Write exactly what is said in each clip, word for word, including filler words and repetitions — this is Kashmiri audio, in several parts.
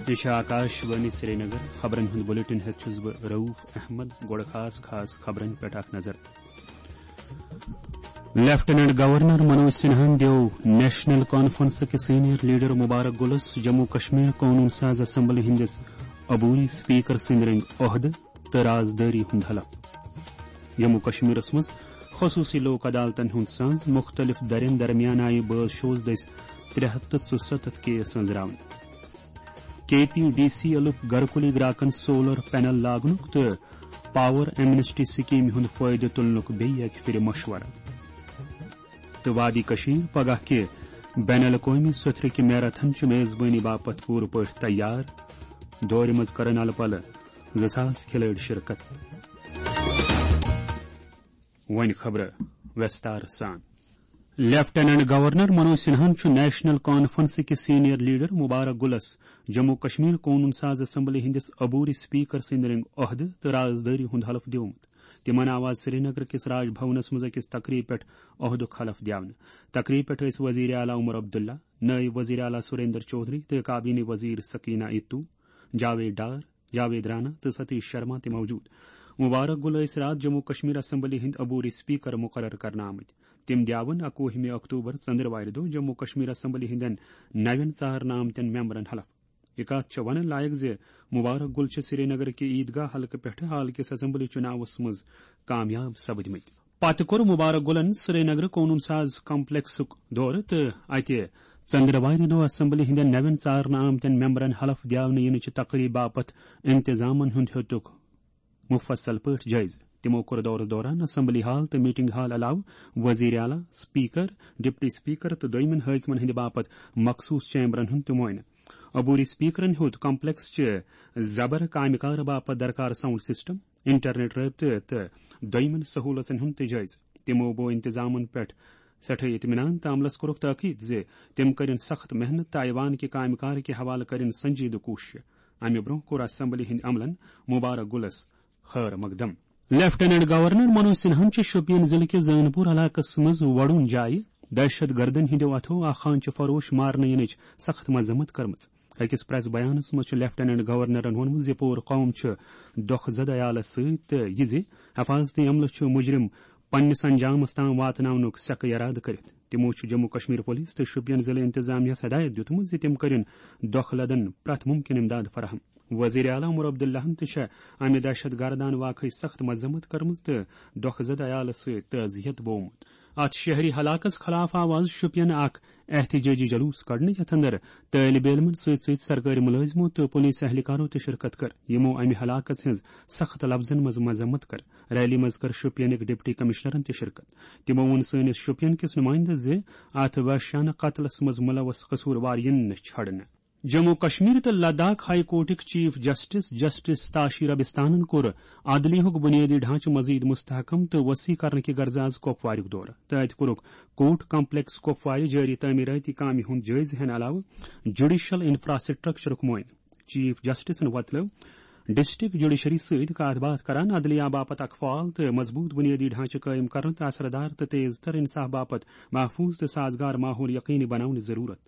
یہِ چھِ آکاش وانی سرینگر۔ خبرن ہُنٛد بلیٹن ہٮ۪تھ چھُس بہٕ رؤف احمد۔ گۄڈٕ خاص خاص خبرن پٮ۪ٹھ اکھ نظر۔ لیفٹیننٹ گورنر منوج سنہاہن دِیو نیشنل کانفرنس کِس سینئر لیڈر مبارک گلس جموں کشمیر قونون ساز اسمبلی ہٕنٛدِس عبوری اسپیکر سٕنٛدۍ رٔنگۍ عہدٕ تہٕ رازدٲری ہُنٛد حلف۔ جموں کشمیرس منٛز خصوصی لوک عدالتن ہُنٛد ساز، مُختٔلِف دَرٮ۪ن درمیان آیہِ بٲز شوز دٔسۍ ترٛےٚ ہَتھ تہٕ ژُسَتتھ کیس أنٛزراونہٕ۔ کے پی ڈی سی ایلُک گرکُلی گراکن سولر پینل لاگنُک تہٕ پاور ایمنسٹی سکیمہِ ہُنٛد فٲیدٕ تُلنُک بیٚیہِ اکہِ پھِرِ مشورٕ۔ تہٕ وادی کشمیر پگاہ کہِ بین الاقوٲمی سوٚتھرِ کہِ میراتھن چہِ میزبٲنی باپتھ پوٗرٕ پٲٹھۍ تیار۔ دورِ منٛز کرن الہٕ پلہٕ زٕ ساس کھلٲڑۍ شرکت۔ وۄنۍ خبرٕ وستار سان۔ لیفٹیننٹ گورنر منوج سنہاہن چھُ نیشنل کانفرنس کِس سینئر لیڈر مبارک گلس جموں کشمیر قونون ساز اسمبلی ہٕنٛدِس عبوری اسپیکر سٕنٛدۍ رٔنگۍ عہدٕ تہٕ رازدٲری ہُنٛد حلف دیومُت۔ تِمن آو آز سرینگر کِس راج بھونس منٛز أکِس تقریبہِ پٮ۪ٹھ عہدُک حلف دیونہٕ۔ تقریبہِ پٮ۪ٹھ ٲسۍ وزیر اعلیٰ عمر عبداللہ، نٲیِب وزیر اعلیٰ سریندر چودھری تہٕ کابینی وزیر سکینہ اتو، جاوید ڈار، جاوید رانا تہٕ ستیش شرما تہِ موجود۔ مبارک گل ٲسۍ راتھ جموں کشمیر اسمبلی ہٕنٛدۍ عبوری اسپیکر مقرر کرنہٕ آمٕتۍ۔ تِم دیاون اکوُہمہِ اکتوبر ژندروارِ دۄہ جموں کشمیر اسمبلی ہٕنٛدٮ۪ن نوٮ۪ن ژارنہٕ آمتٮ۪ن ممبرن حلف۔ یہِ کتھ چھےٚ وننہٕ لایق زِ مبارک گل چھِ سرینگر کہِ عیدگاہ حلقہٕ پٮ۪ٹھٕ حال کِس اسمبلی چُناوس منٛز کامیاب سپدمٕتۍ۔ پتہٕ کوٚر مبارک گلن سرینگر قونون ساز کمپلیکسُک دورٕ تہٕ اتہِ ژندروارِ دۄہ اسمبلی ہٕنٛدٮ۪ن نوٮ۪ن ژارنہٕ آمتٮ۪ن ممبرن حلف دیاونہٕ یِنہٕ چہِ تقریبہِ باپتھ انتظامن ہُنٛد ہیوٚتُکھ مفصل پٲٹھۍ جٲیزٕ۔ تِمو کوٚر دورس دوران اسمبلی ہال تہٕ میٹنگ ہال علاوٕ وزیر اعلیٰ، اسپیکر، ڈپٹی اسپیکر تہٕ دوٚیمٮ۪ن حٲکمن ہٕنٛدِ باپتھ مخصوص چیمبرن ہُنٛد تہِ معائنہٕ۔ عبوری اسپیکرن ہیوٚت کمپلیکس چہِ زبر کامہِ کارٕ باپتھ درکار ساؤنڈ سسٹم، انٹرنیٹ رٲبطہٕ تہٕ دوٚیمٮ۪ن سہوٗلژن ہُنٛد تہِ جٲیزٕ۔ تِمو بوو انتظامن پٮ۪ٹھ سٮ۪ٹھاہ اطمینان تہٕ عملس کوٚرُکھ تاکید زِ تِم کٔرِن سخت محنت تہٕ ایوان کہِ کامہِ کار کہِ حوالہٕ کٔرِن سنجیدٕ کوٗششہٕ۔ امہِ برٛونٛہہ کوٚر اسمبلی ہٕنٛدۍ عملن مبارک گُلس خٲر مقدم۔ لیفٹیننٹ گورنر منوج سنہاہن چھُ شوپین ضلعہٕ کِس زٲنپور علاقس منٛز وڈوٗن جایہِ دہشت گردن ہٕنٛدیو اتھو اکھ خانچہِ فروش مارنہٕ یِنٕچ سخت مذمت کٔرمٕژ۔ أکِس پریس بیانس منٛز چھُ لیفٹیننٹ گورنرن ووٚنمُت زِ پوٗرٕ قوم چھُ دۄکھٕ زدٕ عیالس سۭتۍ تہٕ یہِ زِ حفاظتی عملہٕ چھُ مجرم پننِس انجامس تام واتناونُک سیکہٕ ارادٕ کٔرِتھ۔ تِمو چھُ جموں کشمیر پولیس تہٕ شوپین ضلعہٕ انتظامیہس ہدایت دِیُتمُت زِ تِم کٔرِن دۄکھٕ لدن پرٛٮ۪تھ مُمکِن امداد فراہم۔ وزیر اعلیٰ عمر عبداللہن تہِ چھےٚ امہِ دہشت گردانہٕ واقعٕچ سخت مذمت کٔرمٕژ تہٕ دۄکھٕ زدٕ عیالس سۭتۍ تعزیت بوومُت۔ اتھ شہری ہلاکس خلاف آو آز شوپین اکھ احتجاجی جلوس کڑنہٕ، یتھ اندر طٲلب علمن سۭتۍ سۭتۍ سرکٲرۍ مُلٲزمو تہٕ پولیس اہلکارو تہِ شرکت کٔر، یِمو امہِ ہلاکس ہٕنٛز سخت لفظن منٛز مذمت کٔر۔ ریلی منٛز کٔر شوپینٕکۍ ڈپٹی کمشنرن تہِ شرکت۔ تِمو ووٚن سٲنِس شوپین کِس نُمٲیندس زِ اتھ وحشیانہٕ قتلس منٛز ملوث قصوٗروار یِن نہٕ چھڑنہٕ۔ جموں کشمیر تہٕ لداخ ہائی کورٹٕکۍ چیف جسٹس جسٹس تاشی ربستانن کوٚر عدلیہُک بنیٲدی ڈھانچہٕ مزید مستحکم تہٕ وسیع کرنہٕ کہِ غرضہٕ آز کپواریُک دورٕ تہٕ اتہِ کوٚرُکھ کورٹ کمپلیکس کپوارِ جٲری تعمیراتی کامہِ ہُنٛد جٲیزٕ ہٮ۪نہٕ علاوٕ جوڈیشل انفراسٹرکچرُک معائنہٕ۔ چیف جسٹسن وۄتلٲو ڈسٹرکٹ جوڈیشری سۭتۍ کتھ باتھ کران عدلیہ باپتھ اکھ فعال تہٕ مضبوط بنیٲدی ڈھانچہٕ قٲیِم کرنہٕ تہٕ اثر دار تہٕ تیز تر انصاف باپتھ محفوظ تہٕ سازگار ماحول یقینی بناونٕچ ضرورت۔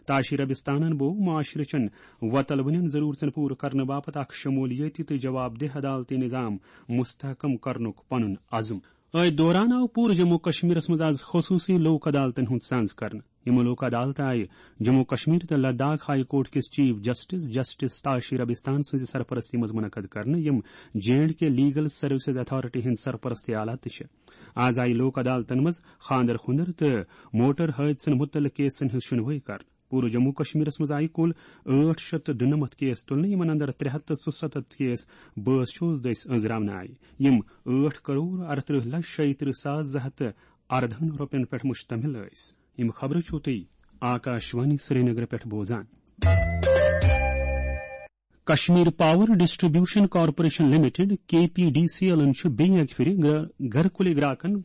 تاشی ربستانن بوو معاشرٕ چٮ۪ن وۄتلوٕنٮ۪ن ضرورژن پوٗرٕ کرنہٕ باپتھ اکھ شمولیٲتی تہٕ جواب دہ عدالتی نظام مستحکم کرنُک پنُن عزم۔ أتھۍ دوران آو پوٗرٕ جموں کشمیرس منٛز آز خصوصی لوک عدالتن ہُنٛد سانز کرنہٕ۔ یِم لوک عدالتہٕ آیہِ جموں کشمیر تہٕ لداخ ہائی کورٹ کِس chief justice justice Tashi Rabistan سٕنٛزِ سرپرستی منٛز منعقد کرنہٕ، یِم J and K legal services authority ہٕنٛدۍ سرپرستی آلہ تہِ چھِ۔ آز آیہِ لوک عدالتن منٛز خاندر خُندر تہٕ موٹر حٲدثن مُتعلق کیسن ہٕنٛز شُنوٲیی کرنہٕ۔ پوٗرٕ جموں کشمیرس منٛز آیہِ کُل ٲٹھ شیٚتھ تہٕ دُنمتھ کیس تُلنہٕ، یِمن اندر ترٛےٚ ہَتھ تہٕ ژُسَتتھ کیس بٲز شوز دٔسۍ أنٛزراونہٕ آیہِ۔ یِم ٲٹھ کرور اَرترٕٛہ لچھ شیٚیہِ ترٕٛہ ساس زٕ ہَتھ تہٕ اَردَہَن رۄپین پٮ۪ٹھ مشتمل ٲسۍ۔ یِم خبرٕ چھِو تُہۍ آکاش وانی سرینگرٕ پٮ۪ٹھ بوزان۔ Kashmir power distribution corporation limited, K P D C ایلن چھُ بیٚیہِ اکہِ پھِرِ گر-، گرکُلہِ گراکن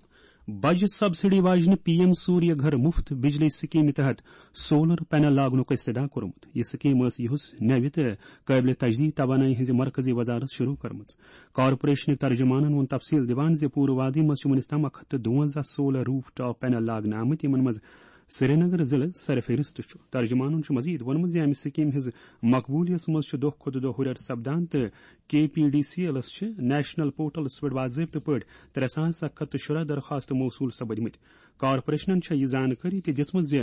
بجہِ سبسڈی واجنہِ پی ایم سوریہ گھر مفت بجلی سکیمہِ تحت سولر پینل لاگنُک استدعا کوٚرمُت۔ یہِ سکیٖم ٲس یُہُس نوِ تہٕ قٲبلِ تجدید توانٲیی ہٕنٛزِ مرکزی وزارت شروع کٔرمٕژ۔ کارپوریشنٕکۍ ترجمانن ووٚن تفصیل دِوان زِ پوٗرٕ وادی منٛز چھِ وُنیُس تام اکھ ہتھ تہٕ دُوَنزاہ سولر روف ٹاپ پینل لاگنہٕ آمٕتۍ، یِمن منٛز سرینگر ضلع سرفہرست چھُ۔ ترجمانن چھُ مزید ووٚنمُت زِ امہِ سکیمہِ ہٕنٛز مقبولیت منٛز چھُ دۄہ کھۄتہٕ دۄہ ہُرٮ۪ر سپدان تہٕ کے پی ڈی سی ایلس چھِ نیشنل پورٹلس پٮ۪ٹھ باضٲبطہٕ پٲٹھۍ ترٛےٚ ساس اکھ ہتھ تہٕ شُراہ درخواست موصول سپدمٕتۍ۔ کارپوریشنن چھےٚ یہِ زانکٲری تہِ دِژمٕژ زِ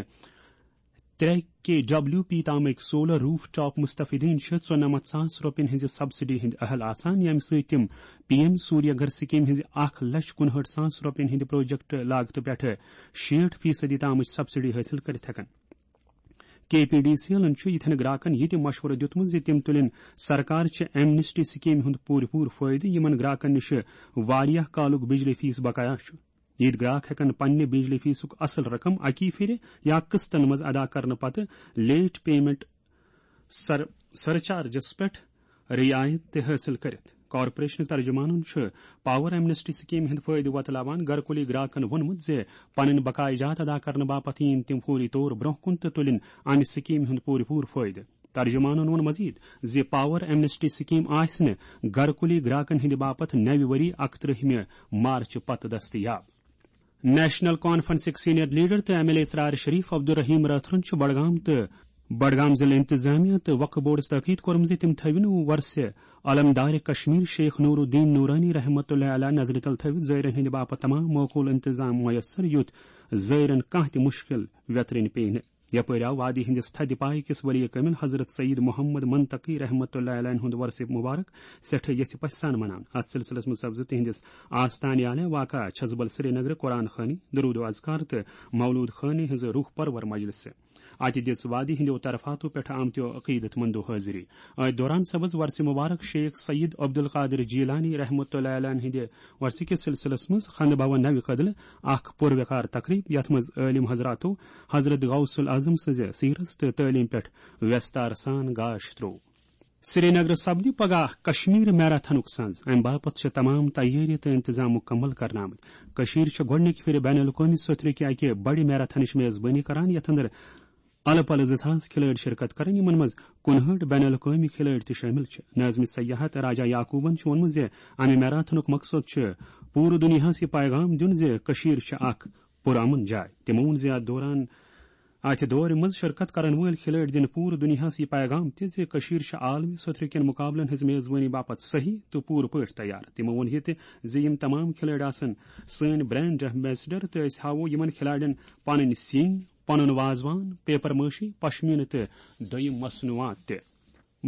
ترٛےٚ کے ڈبلیو پی تامٕکۍ سولر روف ٹاپ مستفیدین چھِ ژُنَمَتھ ساس رۄپین ہٕنٛزِ سبسڈی ہٕنٛدۍ اہل آسان، ییٚمہِ سۭتۍ تِم پی ایم سوریہ گھر سکیمہِ ہٕنٛزِ اکھ لچھ کُنہٲٹھ ساس رۄپین ہٕنٛدِ پروجیکٹ لاگتہٕ پٮ۪ٹھٕ شیٹھ فیصدی تامٕچ سبسڈی حٲصِل کٔرِتھ ہٮ۪کن۔ کے پی ڈی سی ایلن چھُ یِتھٮ۪ن گراکن یہِ تہِ مشورٕ دیُتمُت زِ تِم تُلِن سرکار چہِ ایمنسٹی سکیمہِ ہُنٛد پوٗرٕ پوٗرٕ فٲیدٕ، یِمن گراکن نِش واریاہ کالُک بجلی فیس بقایا چھُ۔ یِتھۍ گراک ہٮ۪کن پننہِ بجلی فیسُک اصل رقم اکی پھِرِ یا قسطن منٛز ادا کرنہٕ پتہٕ لیٹ پیمنٹ سر-، سرچارجس پٮ۪ٹھ رعایت تہِ حٲصِل کٔرِتھ۔ کارپوریشنٕکۍ ترجمانن چھُ پاور ایمنسٹی سکیمہِ ہُنٛد فٲیدٕ وۄتلاوان گرکُلی گراکن ووٚنمُت زِ پنٕنۍ بقایہِ جات ادا کرنہٕ باپتھ یِن تِم فوری طور برونٛہہ کُن تہٕ تُلِن امہِ سکیمہِ ہُنٛد پوٗرٕ پوٗرٕ فٲیدٕ۔ ترجمانن ووٚن مزید زِ پاور ایمنسٹی سکیم آسہِ نہٕ گرکُلی گراکن ہٕنٛدِ باپتھ نوِ ؤری اکترٕہمہِ مارچ پتہٕ دستیاب۔ نیشنل کانفرنسٕکۍ سینئر لیڈر تہٕ ایم ایل اے اسرار شریف عبدالرحیم رٲتھرَن چھُ بڈگام تہٕ بڈگام ضلع انتظامیہ تہٕ وقف بورڈس تاکید کوٚرمُت زِ تِم تھٲوِن ورثہٕ علمدار کشمیر شیخ نور الدین نورانی رحمۃ اللہ علیہ نظرِ تل تھٲوِتھ زٲیرن ہٕنٛدِ باپتھ تمام معقول انتظام میسر، یُتھ زٲیرن کانٛہہ تہِ مشکل ویترٕنۍ پیٚیہِ نہٕ۔ یپٲرۍ آو وادی ہٕنٛدِس تھدِ پایہِ کِس ولی کٲمِل حضرت سعید محمد منطقی رحمۃ اللہ علیہ ہُنٛد ورثہٕ مبارک سٮ۪ٹھاہ یژھِ پژھِ سان مناونہٕ۔ اتھ سلسلس منٛز سپزٕ تِہنٛدِس آستانہِ آلہِ واقع چھزبل سرینگرٕ قرآن خوانی، درود و اذکار تہٕ مولود خوانی ہٕنٛز روح پرور مجلسہٕ۔ اتہِ دِژ وادی ہٕنٛدیو طرفاتو پٮ۪ٹھ آمتیو عقیدت مندو حٲضری۔ أتھۍ دوران سپز ورثہٕ مبارک شیخ سید عبدالقادر جیلانی رحمۃ اللہ علیہ ہٕنٛدِ ورثہٕ کِس سلسلس منٛز خانہ بھون نوِ کدلہٕ اکھ پُر وقار تقریب، یتھ منٛز عٲلم حضراتو حضرت غوث الاعظم سٕنٛزِ سیرت تہٕ تعلیٖم پٮ۪ٹھ ویستار سان گاش تروو۔ سرینگرٕ سپدِ پگاہ کشمیر میراتھنُک سنز۔ امہِ باپتھ چھِ تمام تیٲری تہٕ انتظام مکمل کرنہٕ آمٕتۍ۔ کٔشیٖر چھِ گۄڈٕنِکہِ پھِرِ بین الاقوٲمی سوٚتھرِ کہِ اکہِ بڑِ میراتھنٕچ میزبٲنی کران، یتھ اندر الہٕ پلہٕ زٕ ساس کھلٲڑۍ شرکت کرن، یِمن منٛز کُنہٲٹھ بین الاقوٲمی کھلٲڑۍ تہِ شٲمِل چھِ۔ ناظمِ سیاحت راجہ یعقوبن چھُ ووٚنمُت زِ امہِ میراتھنُک مقصد چھُ پوٗرٕ دُنیاہس یہِ پیغام دیُن زِ کٔشیٖر چھِ اکھ پُرامن جاے۔ تِمو ووٚن زِ اتھ دوران، اتھ دورِ منٛز شرکت کرن وٲلۍ کھلٲڑۍ دِن پوٗرٕ دُنیاہس یہِ پیغام تہِ زِ کٔشیٖر چھِ عالمی سطحہٕ کٮ۪ن مقابلن ہٕنٛز میزبٲنی باپتھ صحیح تہٕ پوٗرٕ پٲٹھۍ تیار۔ تِمو ووٚن یہِ تہِ زِ یِم تمام کھلٲڑۍ آسن سٲنۍ برانڈ ایمبیسڈر تہٕ أسۍ ہاوو یِمن کھلاڑٮ۪ن پنٕنۍ سِنۍ، پنُن وازوان، پیپر مٲشی، پشمیٖنہٕ تہٕ دوٚیِم مصنوعات تہِ۔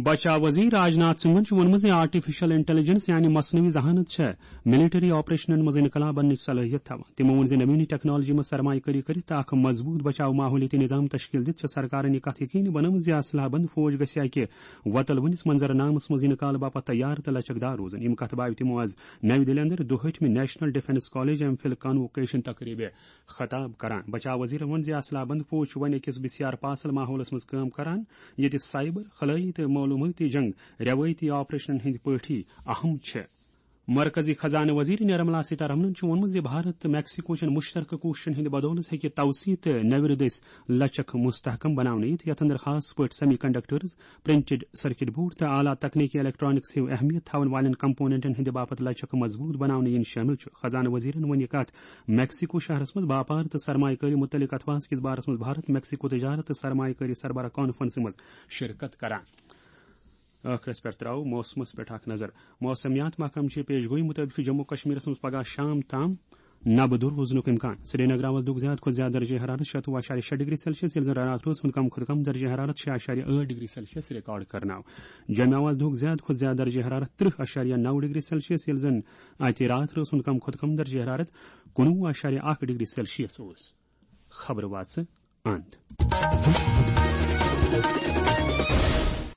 بچاو وزیر راج ناتھ سنگھن چھُ ووٚنمُت زِ آرٹیفیشل انٹیلیجنس یعنی مصنوعی ذہانت چھےٚ ملٹری آپریشنن منٛز انقلاب اننٕچ صلٲحیت تھاوان۔ تِمو ووٚن زِ نوینی ٹیکنالوجی منٛز سرمایہ کٲری کٔرِتھ تہٕ اکھ مضبوط بچاو ماحولیٲتی نظام تشکیل دِتھ چھےٚ سرکارن یہِ کتھ یقینی بنٲومٕژ زِ اسلحہ بند فوج گژھِ اکہِ وۄتلوٕنِس منظرنامس منٛز یِنہٕ کالہٕ باپتھ تیار تہٕ لچکدار روزٕنۍ۔ یِم کتھٕ بایہِ تِمو از نوِ دِلہِ اندر دُہٲٹھمہِ national defence college MPhil convocation تقریبہِ خطاب کران۔ بچاو وزیرن ووٚن زِ اسلحہ بند فوج چھُ وۄنۍ أکِس بسیار پاسل ماحولس منٛز کٲم کران، ییٚتہِ سائبر، خلٲیی تہٕ معلومٲتی جنگ روایتی آپریشنن ہٕنٛدۍ پٲٹھی اہم چھِ۔ مرکزی خزانہٕ وزیر نرملا سیتارمنن چھُ ووٚنمُت زِ بھارت تہٕ میکسیکو چٮ۪ن مشترکہٕ کوٗششن ہٕنٛدِ بدولہٕ ہیٚکہِ توسیع تہٕ نٮ۪برِ دٔسۍ لچک مستحکم بناونہٕ یِتھ، یتھ اندر خاص پٲٹھۍ semi conductors, printed circuit board تہٕ اعلیٰ تکنیکی الیکٹرانکس ہیو اہمیت تھاون والٮ۪ن کمپوننٹن ہٕنٛدِ باپتھ لچک مضبوط بناونہٕ یِنۍ شٲمِل چھُ۔ خزانہٕ وزیرن ووٚن یہِ کتھ میکسیکو شہرس منٛز باپار تہٕ سرمایہ کٲری متعلق اتھواس کِس بارس منٛز بھارت میکسیکو تجارت تہٕ سرمایہ کٲری سربراہ کانفرنسہِ منٛز شرکت کران۔ ٲخرس پٮ۪ٹھ ترٛاوو موسمس پٮ۪ٹھ اکھ نظر۔ موسمیات محکمہٕ چہِ پیش گویی مُطٲبِق چھُ جموں کشمیرس منٛز پگاہ شام تام نبہٕ دوٚر روزنُک امکان۔ سرینگر آواز دُک زیادٕ کھۄتہٕ زیادٕ درجہ حرارت شیٚتوُہ اعشاریہ شیٚے ڈگری سیلسیس، ییٚلہِ زن راتھ روز ہُنٛد کم کھۄتہٕ کم درجہ حرارت شیٚے اعشاریہ ٲٹھ ڈگری سیلسیس ریکارڈ کرنہٕ آو۔ جوٚمہِ آواز دُک زیادٕ کھۄتہٕ زیادٕ درجہ حرارت ترٕہ اعشاریہ نو ڈگری سیلسیس، ییٚلہِ زن اتہِ راتھ روز ہُنٛد کم کھۄتہٕ کم درجہ حرارت کُنوُہ اعشاریہ اکھ ڈگری سیلسیس اوس۔ خبرٕ واژٕ اند۔